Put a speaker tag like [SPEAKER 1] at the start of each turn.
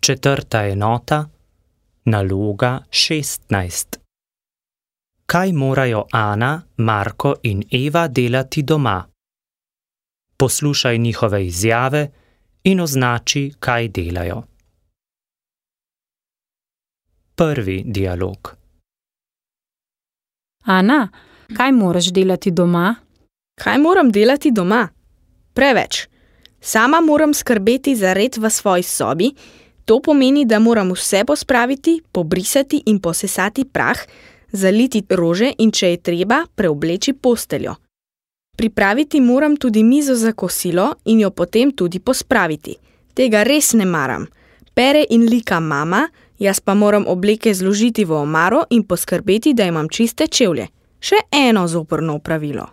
[SPEAKER 1] Četrta enota, naloga 16. Kaj morajo Ana, Marko in Eva delati doma? Poslušaj njihove izjave in označi, kaj delajo. Prvi dialog.
[SPEAKER 2] Ana, kaj moraš delati doma?
[SPEAKER 3] Kaj moram delati doma? Preveč. Sama moram skrbeti za red v svoji sobi, to pomeni, da moram vse pospraviti, pobrisati in posesati prah, zaliti rože in če je treba, preobleči posteljo. Pripraviti moram tudi mizo za kosilo in jo potem tudi pospraviti. Tega res ne maram. Pere in lika mama, jaz pa moram obleke zložiti v omaro in poskrbeti, da imam čiste čevlje. Še eno zoprno opravilo.